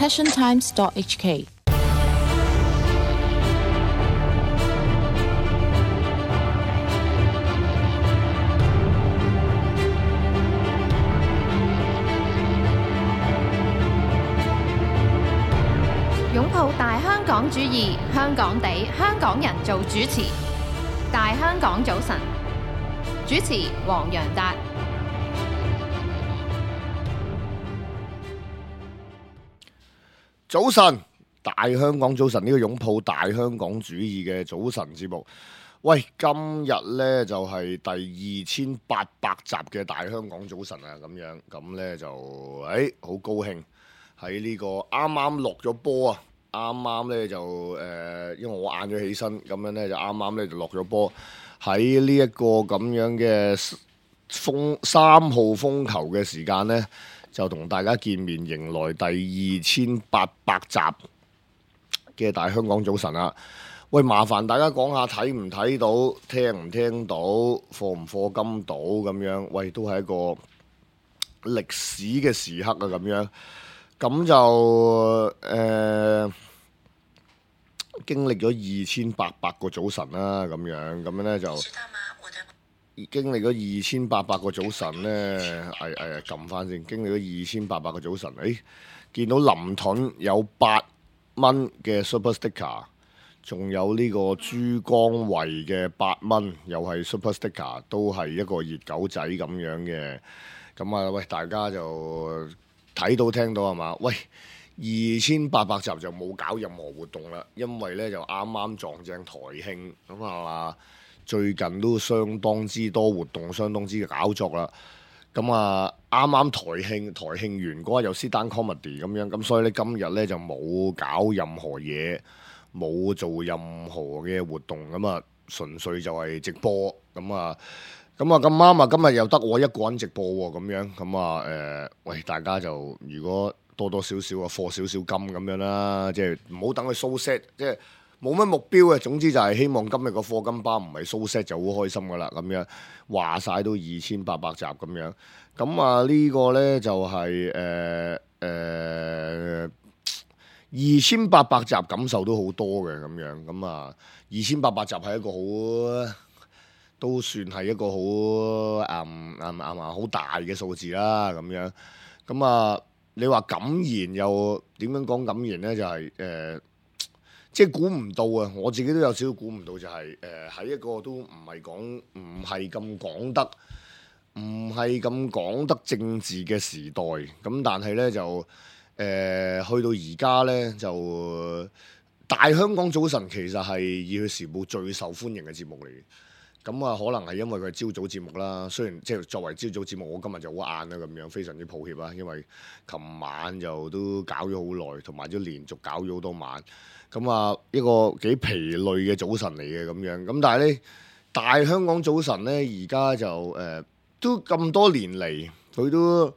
passiontimes.hk。擁抱大香港主義，香港地，香港人做主持。大香港早晨，主持黃洋達。早晨，大香港早晨，呢個擁抱大香港主義嘅早晨節目。喂，今日呢就係第2800集嘅大香港早晨啊，咁呢就好高興喺呢個啱啱落咗波啊！啱啱呢就因為我晏咗起身，咁樣呢就啱啱呢就落咗波，喺呢一個咁樣嘅3號風球嘅時間呢，就同大家見面，迎來第2800集嘅大香港早晨啦。喂，麻煩大家講下睇唔睇到、聽唔聽到、課唔課金到咁樣。喂，都係一個歷史嘅時刻啊，咁樣。咁就經歷咗2800個早晨啦，咁樣呢就經歷咗2800個早晨呢，撳翻先，經歷咗2800個早晨，見到林盾有8蚊嘅 Super Sticker， 仲有呢個珠江圍嘅8蚊，又係 Super Sticker， 都係一個熱狗仔咁樣嘅。咁啊，喂，大家就睇到聽到係嘛？喂，2800集就冇搞任何活動啦，因為呢就啱啱撞正台慶，咁啊最近都相當之多活動，相當之搞作啦。咁啊啱啱台慶完嗰日又 sit down comedy 咁樣，咁所以呢，今日呢就冇搞任何嘢，冇做任何嘅活動，咁啊純粹就係直播。咁啊咁啱啊，今日又得我一個人直播喎，咁樣咁啊喂，大家就如果多多少少啊課少少金咁樣啦，即係唔好等佢 show set， 即係冇乜目標嘅。總之就係希望今日個課金包唔係 show set 就好開心噶啦，咁樣話晒都2800集咁樣。咁啊呢個呢就係2800集感受都好多嘅咁樣。咁啊2800集係一個好，都算係一個好大嘅數字啦，咁樣。咁啊你話感言又點樣講感言呢？就係即係估唔到啊！我自己都有少少估唔到，就係喺一個都唔係咁講得政治嘅時代，咁但係呢，就去到而家呢，就大香港早晨其實係《熱血時報》最受歡迎嘅節目嚟嘅。咁啊，可能係因為佢係朝早節目啦。雖然即係作為朝早節目，我今日就好晏啦，咁樣非常之抱歉啊。因為琴晚就都搞咗好耐，同埋都連續搞咗好多晚。咁啊，一個幾疲累嘅早晨嚟嘅咁樣。咁但係呢，大香港早晨呢，而家就都咁多年嚟，佢都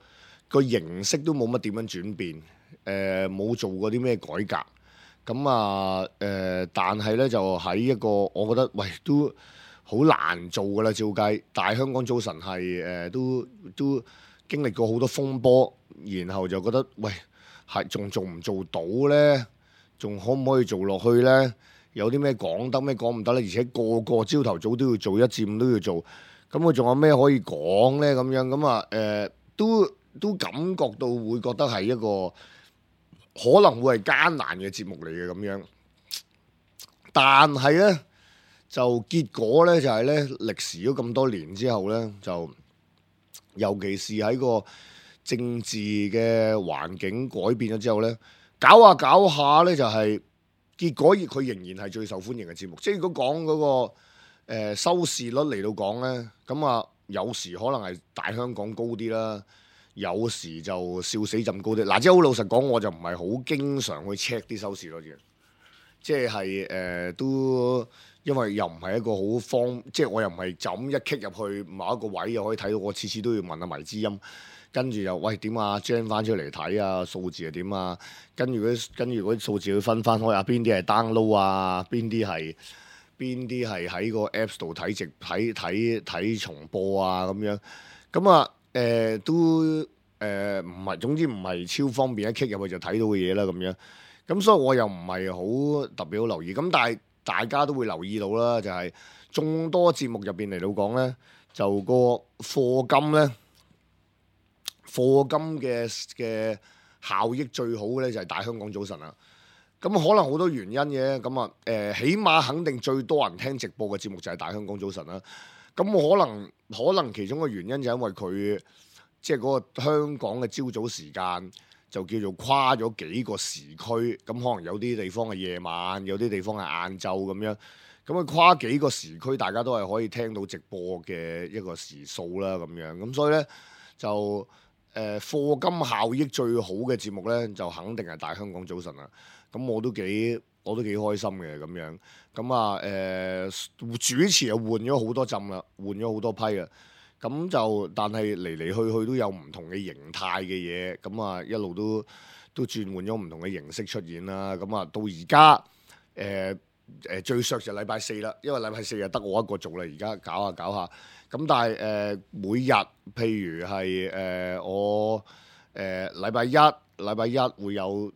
個形式都冇乜點樣轉變，冇做過啲咩改革。咁啊但係呢，就喺一個我覺得喂都好難做㗎啦，照計大香港早晨係都經歷過好多風波，然後就覺得喂係仲做唔做到呢？仲可唔可以做落去呢？有啲咩講得，咩講唔得呢？而且個個朝頭早都要做，1至5都要做，咁佢仲有咩可以講呢？咁樣咁啊都感覺到會覺得係一個可能會係艱難嘅節目嚟嘅咁樣，但係呢。就結果呢，就係呢歷時咗咁多年之後呢，就尤其是喺個政治嘅環境改變咗之後呢，搞下呢，就係結果佢仍然係最受歡迎嘅節目。即係如果講嗰個收視率嚟到講呢，咁啊有時可能係大香港高啲啦，有時就笑死朕高啲。嗱，即係好老實講，我就唔係好經常去 check 啲收視率嘅，即係都。因為又唔係一個好即係我又唔係就咁一 kick 入去某一個位又可以睇到，我次次都要問下迷之音，跟住又喂點啊 gen 翻出嚟睇啊，數字係點啊，跟住嗰啲數字要分翻開啊，邊啲係 download 啊，邊啲係喺個 Apps 度睇睇重播啊咁樣，咁啊都唔係，總之唔係超方便，一 click 入去就睇到嘅嘢啦咁樣。咁所以我又唔係好特別好留意。咁但係大家都會留意到啦，就係眾多節目入邊嚟到講咧，就個課金咧，課金嘅效益最好嘅咧就係大香港早晨啦。咁可能好多原因嘅，咁啊起碼肯定最多人聽直播嘅節目就係大香港早晨啦。咁我可能其中嘅原因就係因為佢即係嗰個香港嘅朝早時間就叫做跨咗幾個時區，咁可能有啲地方係夜晚，有啲地方係晏晝咁樣。咁佢跨幾個時區，大家都係可以聽到直播嘅一個時數啦咁樣。咁所以咧就課金效益最好嘅節目咧，就肯定係大香港早晨啦。咁我都幾開心嘅咁樣。咁啊主持又換咗好多陣啦，換咗好多批啦。咁就但係嚟嚟去去都有唔同嘅形態嘅嘢。咁啊一路都轉換咗唔同嘅形式出現啦。咁啊到而家最削就禮拜四啦，因為禮拜四就得我一個做啦。而家搞下，咁但係每日譬如係我禮拜一會有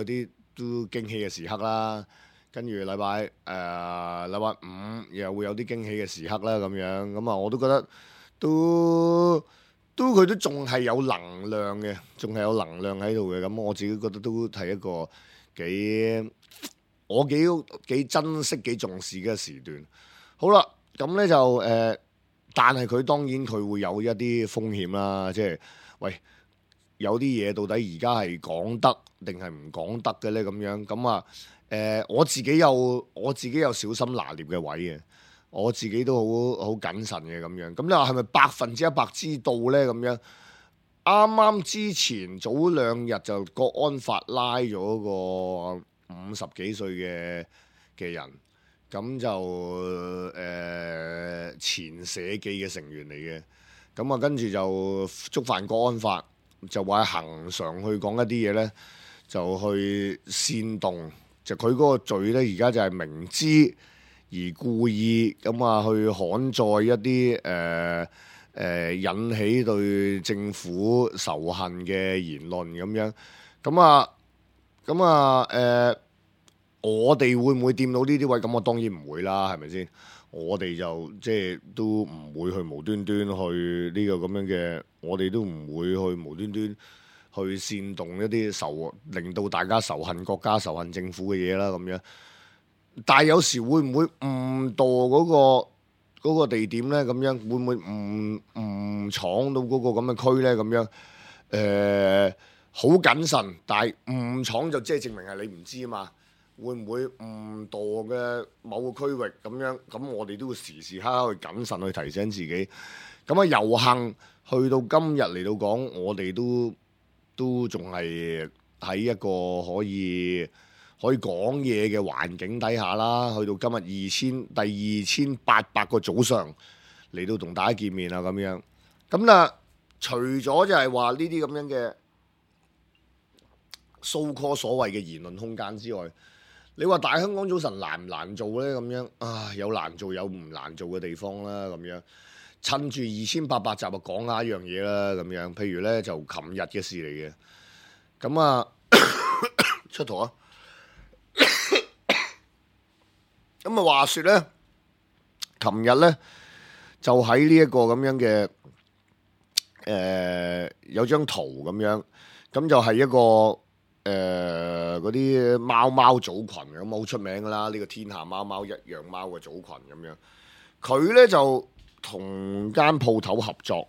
啲都驚喜嘅時刻啦，跟住禮拜五又會有啲驚喜嘅時刻啦咁樣。咁啊我都覺得佢都仲係有能量嘅，仲係有能量喺度嘅。咁我自己覺得都係一個我幾珍惜幾重視嘅時段。好啦，咁咧就但係佢當然佢會有一啲風險啦，即係喂有啲嘢到底而家係講得定係唔講得嘅咧咁樣。咁啊我自己有小心拿捏嘅位嘅，我自己都好謹慎嘅咁樣。咁你話係咪100%知道咧咁樣？啱啱之前早2日就國安法拉咗個50幾歲嘅人，咁就前社記嘅成員嚟嘅。咁啊跟住就觸犯國安法，就話恆常去講一啲嘢咧，就去煽動，就佢嗰個罪咧，而家就係明知而故意咁啊去刊載一啲引起對政府仇恨嘅言論咁樣。咁啊我哋會唔會掂到呢啲位？咁我當然唔會啦，係咪先？我哋就即係都唔會去無端端去呢個咁樣嘅，我哋都唔會去無端端去煽動一啲令到大家仇恨國家、仇恨政府嘅嘢啦咁樣。但係有時會唔會誤墮嗰個地點咧？咁樣會唔會誤闖到嗰個咁嘅區咧？咁樣好謹慎，但係誤闖就即係證明係你唔知啊嘛。會唔會誤墮嘅某個區域咁樣？咁我哋都會時時刻刻去謹慎去提醒自己。咁啊，有幸去到今日嚟到講，我哋都仲係喺一個可以講嘢嘅環境底下啦。去到今日第2800個早上嚟到同大家見面啊咁樣。咁啊，除咗就係話呢啲咁樣嘅so call 所謂嘅言論空間之外，你話大香港早晨難唔難做呢？咁樣啊，有難做有唔難做嘅地方啦。咁樣趁住2800集就講下一樣嘢啦。咁樣譬如呢，就琴日嘅事嚟嘅。咁啊出圖啊！咁啊話說呢，琴日呢，就喺呢一個咁樣嘅有張圖咁樣，咁就係一個。嗰啲貓組群咁好出名噶啦，呢個天下貓貓一樣貓嘅組群咁樣，佢呢就同間鋪頭合作，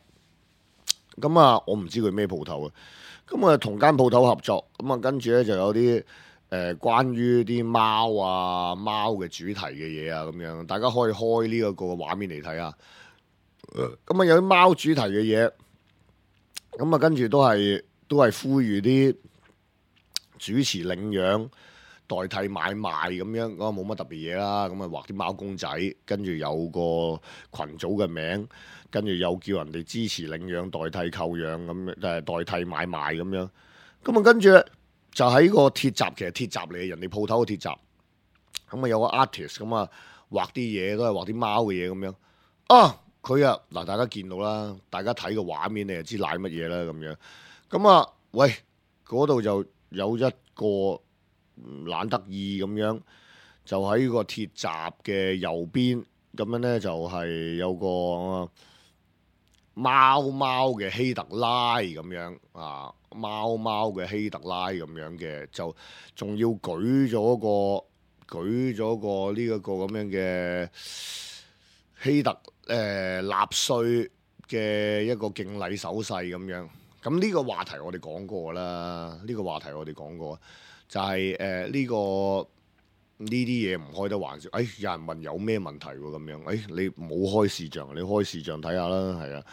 咁啊我唔知佢咩鋪頭啊，咁啊同間鋪頭合作，咁啊跟住呢就有啲關於啲貓嘅主題嘅嘢啊咁樣，大家可以開呢一個畫面嚟睇下，咁啊有啲貓主題嘅嘢，咁啊跟住都係呼籲啲主持領養代替買賣咁樣，咁啊冇乜特別嘢啦。咁啊畫啲貓公仔，跟住有個群組嘅名，跟住又叫人哋支持領養代替購養咁樣，代替買賣咁樣。咁啊跟住就喺個鐵閘，其實鐵閘嚟嘅，人哋鋪頭嘅鐵閘。咁啊有個 artist 咁啊畫啲嘢，都係畫啲貓嘅嘢咁樣。啊佢啊嗱，大家見到啦，大家睇個畫面你就知瀨乜嘢啦咁樣。咁啊，喂，嗰度就有一個懶得意咁樣，就喺個鐵閘嘅右邊，咁樣咧就係有個貓嘅希特拉咁樣啊，貓嘅希特拉咁樣嘅，就仲要舉咗個呢一個咁樣嘅希特納粹嘅一個敬禮手勢咁樣。咁呢個話題我哋講過啦，就係呢個呢啲嘢唔開得玩笑。有人問有咩問題喎咁樣？你冇開視像，你開視像睇下啦，係啊。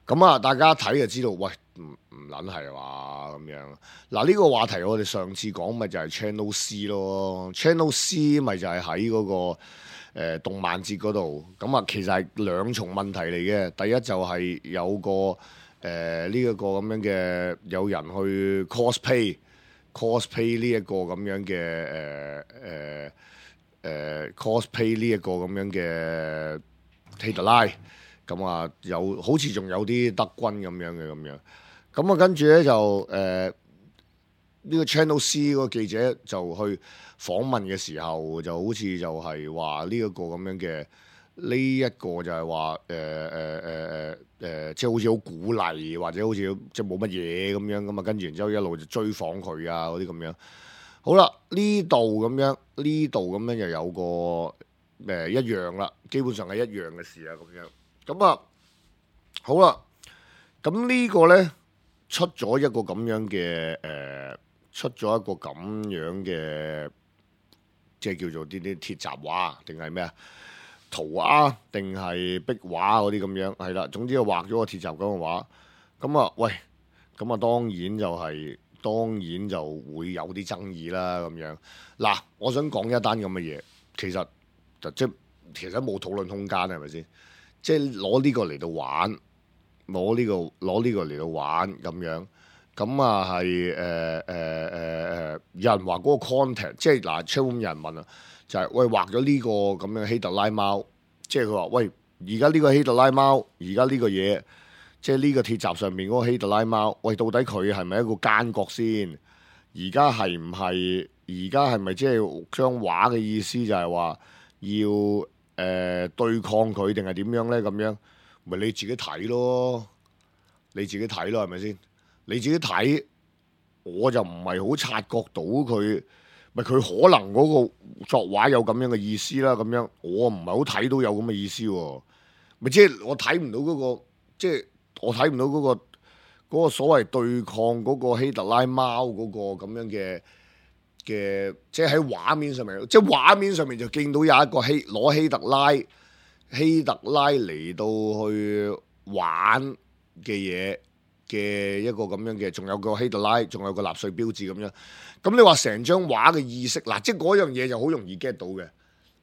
咁啊，大家睇就知道，喂，唔撚係話咁樣。嗱，呢個話題我哋上次講咪就係 Channel C 咯，Channel C 咪就係喺嗰個動漫節嗰度。咁啊，其實係兩重問題嚟嘅。第一就係有個呢一個咁樣嘅有人去 cosplay 呢一個咁樣嘅cosplay 呢一個咁樣嘅希特拉，咁啊好似仲有啲德軍咁樣嘅咁樣，咁啊跟住咧就呢個 Channel C 嗰個記者就去訪問嘅時候，就好似就係話呢一個咁樣嘅。呢一個就係話即係好似好鼓勵，或者好似即係冇乜嘢咁樣咁啊，跟住然之後一路就追訪佢啊嗰啲咁樣。好啦，呢度咁樣又有個一樣啦，基本上係一樣嘅事啊咁樣。咁啊好啦，咁呢個咧出咗一個咁樣嘅即係叫做啲鐵閘畫定係咩啊？塗鴉定係壁畫嗰啲咁樣，係啦，總之佢畫咗個鐵閘咁嘅畫，咁啊喂，咁啊當然就會有啲爭議啦咁樣。嗱，我想講一單咁嘅嘢，其實冇討論空間，係咪先？即係攞呢個嚟到玩，攞呢個嚟到玩咁樣，咁啊係有人話嗰個 content， 即係嗱 ，Chatroom 有人問啊。就係喂畫咗呢個咁樣希特拉貓，即係佢話喂而家呢個希特拉貓，而家呢個嘢，即係呢個鐵閘上面嗰個希特拉貓，喂到底佢係咪一個奸角先？而家係唔係？而家係咪即係將畫嘅意思就係話要對抗佢定係點樣咧？咁樣咪你自己睇咯，係咪先？你自己睇，我就唔係好察覺到佢。咪佢可能嗰個作畫有咁樣嘅意思啦，咁樣我唔係好睇到有咁嘅意思喎。咪即係我睇唔到嗰個，即係我睇唔到嗰個所謂對抗嗰個希特拉貓嗰個咁樣嘅，即係喺畫面上面，即係畫面上面就見到有一個攞希特拉嚟到去玩嘅嘢嘅一個咁樣嘅，仲有個希特拉，仲有個納粹標誌咁樣。咁你話成張畫嘅意識嗱，即係嗰樣嘢就好容易 get 到嘅，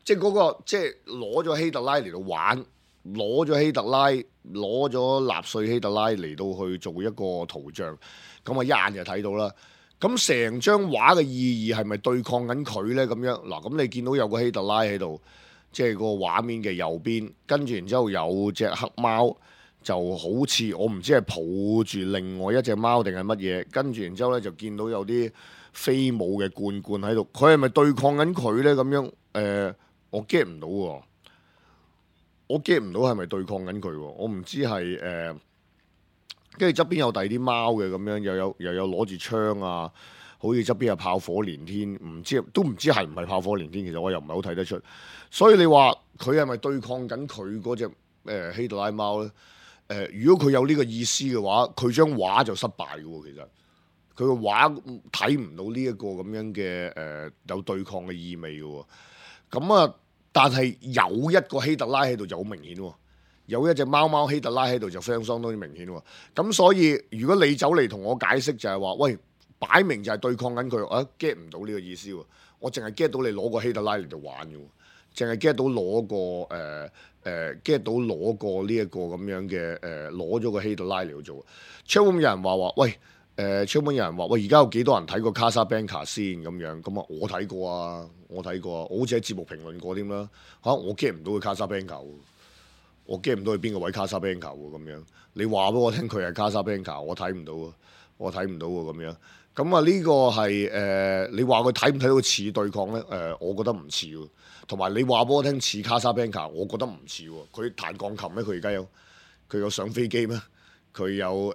即係嗰個即係攞咗希特拉嚟到玩，攞咗納粹希特拉嚟到去做一個圖像，咁啊一眼就睇到啦。咁成張畫嘅意義係咪對抗緊佢咧？咁樣嗱，咁你見到有個希特拉喺度，即係個畫面嘅右邊，跟住然之後有隻黑貓。就好似我唔知係抱住另外一隻貓定係乜嘢，跟住然之後咧就見到有啲飛舞嘅罐喺度，佢係咪對抗緊佢咧？咁樣我 get 唔到喎，我 get 唔到係咪對抗緊佢喎？我唔知係跟住側邊有第二啲貓嘅咁樣，又有攞住槍啊，好似側邊有炮火連天，都唔知係唔係炮火連天，其實我又唔係好睇得出。所以你話佢係咪對抗緊佢嗰隻希特拉貓咧？如果佢有呢個意思嘅話，佢張畫就失敗嘅喎。其實佢個畫睇唔到呢一個咁樣嘅有對抗嘅意味嘅喎。咁啊，但係有一個希特拉喺度就好明顯喎，有一隻貓希特拉喺度就相當之明顯喎。咁所以如果你走嚟同我解釋就係話，喂，擺明就係對抗緊佢，我 get 唔到呢個意思喎。我淨係 get 到你攞個希特拉嚟度玩嘅喎。淨係 get 到攞個get 到攞個呢一個咁樣嘅攞咗個希特拉嚟去做。Chatroom 有人話喂Chatroom 有人話喂，而家有幾多人睇過卡莎班卡先咁樣？咁啊我睇過啊，我好似喺節目評論過添啦嚇，我 get 唔到佢卡莎班卡，我 get 唔到佢邊個位卡莎比蘭卡喎咁樣。你話俾我聽佢係卡莎比蘭卡，我睇唔到喎，我睇唔到喎咁樣。咁啊呢個係你話佢睇唔睇到似對抗咧？我覺得唔似喎。同埋你話俾我聽似卡莎比蘭卡，我覺得唔似喎。佢彈鋼琴咩？佢而家佢有上飛機咩？佢有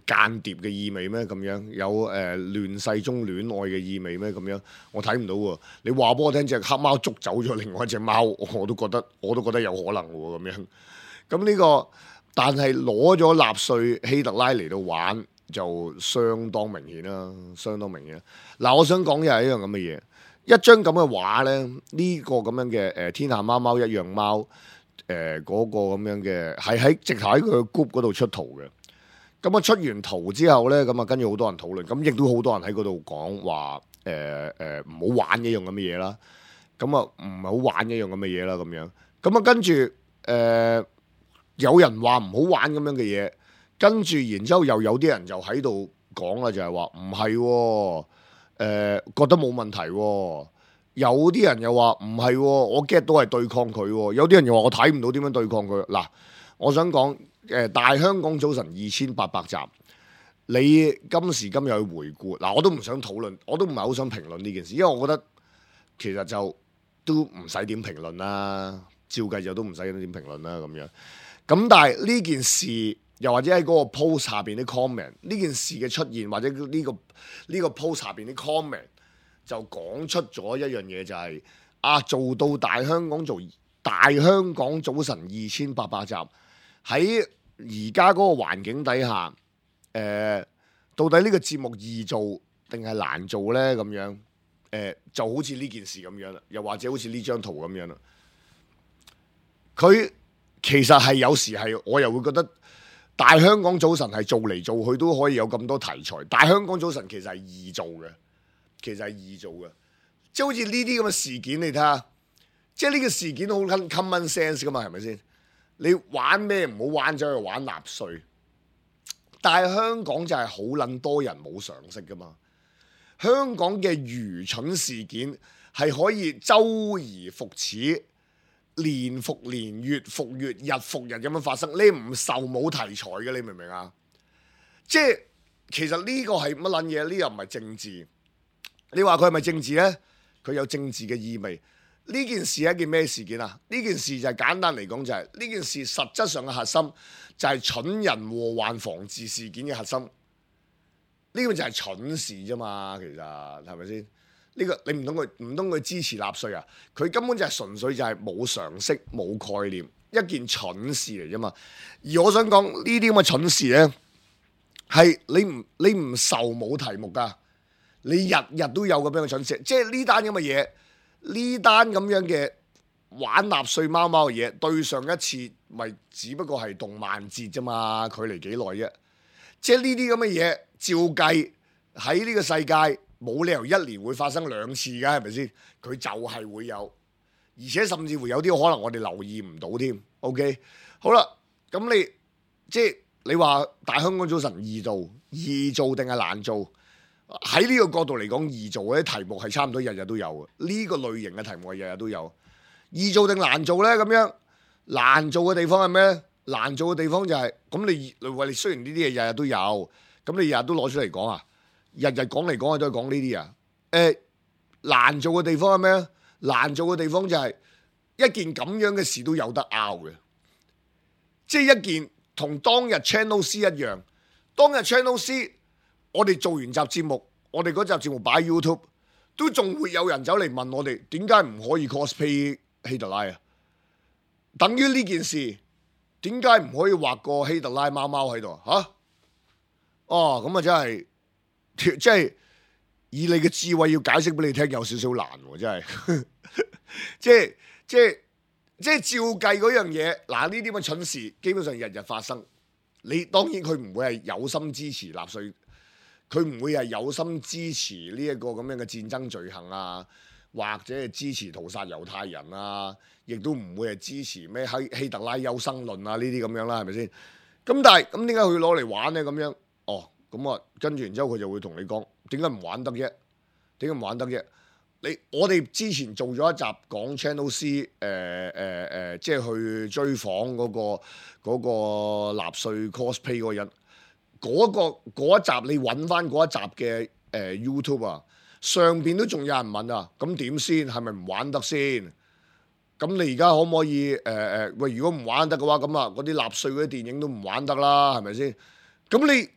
間諜嘅意味咩？咁樣有亂世中戀愛嘅意味咩？咁樣我睇唔到喎。你話俾我聽隻黑貓捉走咗另外一隻貓，我都覺得有可能喎咁樣。咁呢個但係攞咗納粹希特拉嚟到玩就相當明顯啦，相當明顯。嗱，我想講嘅係一樣咁嘅嘢，一張咁嘅畫咧，呢個咁樣嘅天下貓貓一樣貓。嗰個咁樣嘅係直頭喺佢嘅 group 嗰度出圖嘅，咁啊出完圖之後咧，咁啊跟住好多人討論，咁亦都好多人喺嗰度講話唔好玩一樣咁嘅嘢啦，咁啊唔係好玩一樣咁嘅嘢啦咁樣，咁啊跟住有人話唔好玩咁樣嘅嘢，跟住然之後又有啲人就喺度講啦，就係話唔係，覺得冇問題喎。有啲人又話唔係，我 get 到係對抗佢。有啲人又話我睇唔到點樣對抗佢。嗱，我想講大香港早晨2800集，你今時今日去回顧，嗱我都唔想討論，我都唔係好想評論呢件事，因為我覺得其實就都唔使點評論啦，照計就都唔使點評論啦咁樣。咁但係呢件事，又或者喺嗰個 post 下邊啲 comment， 呢件事嘅出現，或者呢個 post 下邊啲 comment。就講出咗一樣嘢，就係做到大香港早晨2800集，喺而家嗰個環境底下，到底呢個節目易做定係難做呢？咁樣就好似呢件事咁樣啦，又或者好似呢張圖咁樣啦。佢其實係有時係我又會覺得大香港早晨係做嚟做去都可以有咁多題材，大香港早晨其實係易做嘅。其實係易做嘅，即係好似呢啲咁嘅事件，你睇下，即係呢個事件好 common sense 噶嘛，係咪先？你玩咩唔好玩咗去玩納粹，但係香港就係好撚多人冇常識噶嘛。香港嘅愚蠢事件係可以周而復始，年復年，月復月，日復日咁樣發生，你唔受冇題材嘅，你明唔明啊？即係其實呢個係乜撚嘢？呢又唔係政治。你話佢係咪政治呢？佢有政治嘅意味。呢件事係一件咩事件啊？呢件事就係簡單嚟講就係呢件事實質上嘅核心就係蠢人禍患防治事件嘅核心。呢個就係蠢事啫嘛，其實係咪先？呢個你唔通佢支持納粹啊？佢根本就係純粹就係冇常識冇概念，一件蠢事嚟啫嘛。而我想講呢啲咁嘅蠢事呢，係你唔受冇題目㗎。你日日都有咁樣嘅蠢事，即係呢單咁嘅嘢，呢單咁樣嘅玩納粹貓貓嘅嘢，對上一次咪只不過係動漫節啫嘛，距離幾耐啫？即係呢啲咁嘅嘢，照計喺呢個世界冇理由一年會發生2次㗎，係咪先？佢就係會有，而且甚至乎有啲可能我哋留意唔到添。OK， 好啦，咁你話大香港早晨易做定係難做？喺呢個角度嚟講，易做嗰啲題目係差唔多日日都有嘅。呢個類型嘅題目係日日都有。易做定難做呢？咁樣難做嘅地方係咩？難做嘅地方就係咁，你雖然呢啲嘢日日都有，咁你日日都攞出嚟講啊？日日講嚟講去都係講呢啲啊？難做嘅地方係咩？難做嘅地方就係一件咁樣嘅事都有得拗嘅，即係一件同當日 Channel C 一樣，當日 Channel C。我哋做完集節目，我哋嗰集節目擺 YouTube， 都仲會有人走嚟問我哋點解唔可以 cosplay 希特拉啊？等於呢件事，點解唔可以畫個希特拉貓貓喺度啊？哦，咁啊真係，即係以你嘅智慧要解釋俾你聽，有少少難喎，真係，即係照計嗰樣嘢，嗱呢啲咁嘅蠢事，基本上日日發生。你當然佢唔會係有心支持納粹。佢唔會係有心支持呢一個咁樣嘅戰爭罪行啊，或者係支持屠殺猶太人啊，亦都唔會係支持咩希特拉優生論啊呢啲咁樣啦，係咪先？咁但係咁點解佢攞嚟玩呢？咁樣咁啊，跟住然之後佢就會同你講點解唔玩得啫？點解唔玩得啫？我哋之前做咗一集講 Channel C， 即係去追訪嗰個納粹 cosplay 嗰個人，嗰一集你揾翻嗰一集嘅YouTube 啊，上邊都仲有人問啊，咁點先？係咪唔玩得先？咁你而家可唔可以喂？如果唔玩得嘅話，咁啊嗰啲納粹嗰啲電影都唔玩得啦，係咪先？咁你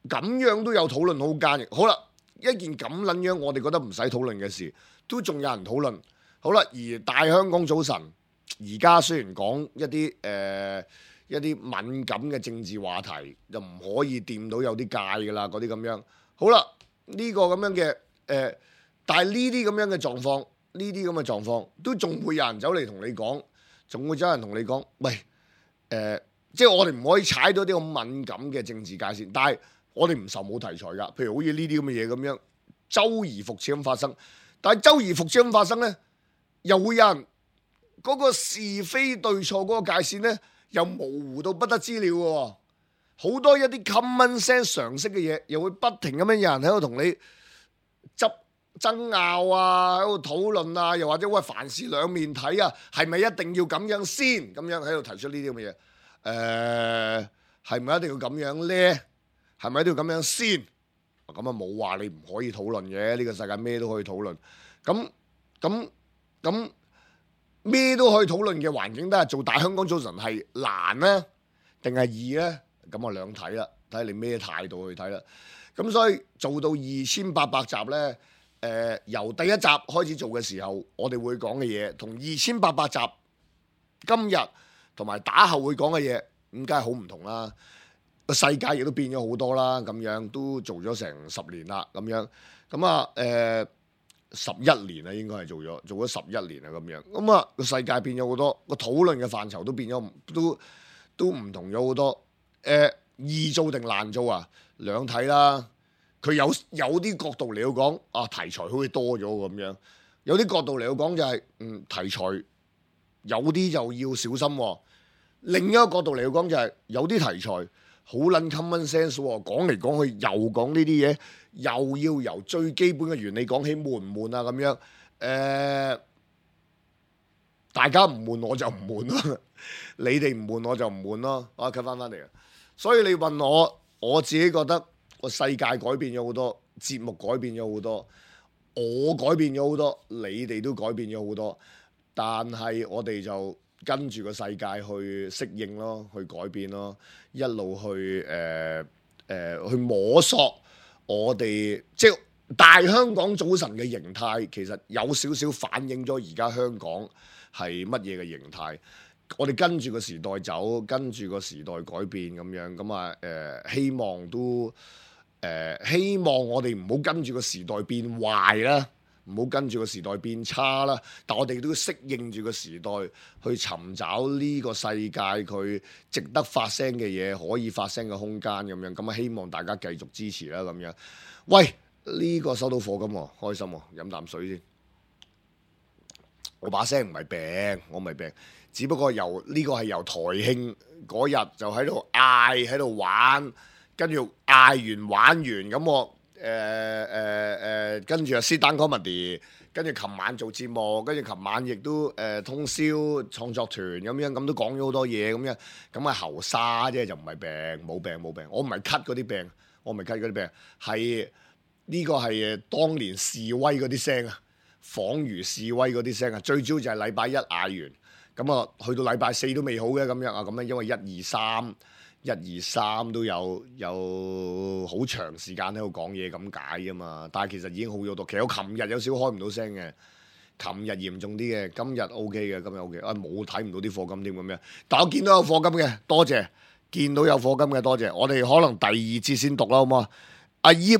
咁樣都有討論空間嘅。好啦。一件咁撚樣，我哋覺得唔使討論嘅事，都仲有人討論。好啦，而大香港早晨，而家雖然講一啲敏感嘅政治話題，就唔可以掂到有啲界㗎啦，嗰啲咁樣。好啦，呢個咁樣嘅但係呢啲咁樣嘅狀況，都仲會有人走嚟同你講，仲會有人同你講，喂，即係我哋唔可以踩到啲咁敏感嘅政治界線，但係我哋唔受冇題材㗎，譬如好似呢啲咁嘅嘢咁樣，周而復始咁發生。但係周而復始咁發生呢，又會有人嗰個是非對錯嗰個界線呢，又模糊到不得之了喎。好多一啲 common sense 常識嘅嘢，又會不停咁樣有人喺度同你爭拗啊，喺度討論啊，又或者喂凡事兩面睇啊，係咪一定要咁樣先？咁樣喺度提出呢啲咁嘅嘢，係咪一定要咁樣呢？係咪都要咁樣先？咁啊冇話你唔可以討論嘅，呢個世界咩都可以討論。咁咩都可以討論嘅環境，都係做大香港早晨係難呢定係易呢？咁啊兩睇啦，睇下你咩態度去睇啦。咁所以做到2800集呢，由第一集開始做嘅時候，我哋會講嘅嘢，同2800集今日同埋打後會講嘅嘢，咁梗係好唔同啦。個世界亦都變咗好多啦，咁樣都做咗成10年啦，咁樣咁啊11年啦，應該係做咗11年啦，咁樣咁啊個世界變咗好多，個討論嘅範疇都變咗，都唔同咗好多。易做定難做啊？兩睇啦。佢有啲角度嚟到講啊，題材好似多咗咁樣；有啲角度嚟到講就係題材有啲就要小心喎。另一個角度嚟到講就係有啲題材好撚 common sense 喎，講嚟講去又講呢啲嘢，又要由最基本嘅原理講起，悶唔悶啊？咁樣大家唔悶我就唔悶咯，你哋唔悶我就唔悶咯。我cut翻嚟啊！所以你問我自己覺得個世界改變咗好多，節目改變咗好多，我改變咗好多，你哋都改變咗好多，但係我哋就跟住個世界去適應咯，去改變咯，一路去去摸索我哋即係大香港早晨嘅形態，其實有少少反映咗而家香港係乜嘢嘅形態。我哋跟住個時代走，跟住個時代改變咁樣，咁啊希望我哋唔好跟住個時代變壞啦，唔好跟住個時代變差啦。但我哋都要適應住個時代，去尋找呢個世界佢值得發聲嘅嘢，可以發聲嘅空間咁樣。咁啊希望大家繼續支持啦咁樣。喂，呢個收到課金喎，開心喎，飲啖水先。我把聲唔係病，我唔係病。只不過呢個係由台慶嗰日就喺度嗌喺度玩，跟住嗌完玩完咁我跟住啊 sit down comedy， 跟住琴晚做節目，跟住琴晚亦都通宵創作團咁樣，咁都講咗好多嘢咁樣，咁啊喉沙啫，就唔係病，冇病，我唔係咳嗰啲病，係呢個係當年示威嗰啲聲啊，仿如示威嗰啲聲啊，最主要就係禮拜一嗌完。咁啊，去到禮拜4都未好嘅咁樣啊，咁樣因為1、2、3都有好長時間喺度講嘢咁解啊嘛，但係其實已經好咗多。其實我琴日有少開唔到聲嘅，琴日嚴重啲嘅，今日 OK 嘅，今日 OK。冇睇唔到啲課金添咁樣，但我見到有課金嘅，多謝。見到有課金嘅，多謝。我哋可能第2節先讀啦，好嘛？阿葉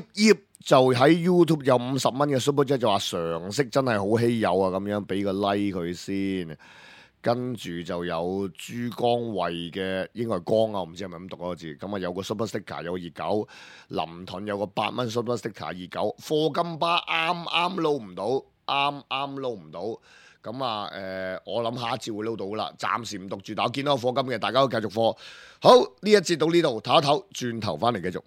就喺 YouTube 有50蚊嘅 Super Chat 就話常識真係好稀有啊，咁樣俾個 like 佢先。跟住就有珠江衛嘅，應該係江啊，我唔知係咪咁讀嗰個字。咁啊有個 super sticker， 有個熱狗，林頓有個8蚊 super sticker 熱狗，課金巴啱撈唔到，啱撈唔到。咁啊我諗下一節會撈到啦，暫時唔讀住。但我見到有課金嘅，大家都繼續課。好，呢一節到呢度，唞一唞，轉頭翻嚟繼續。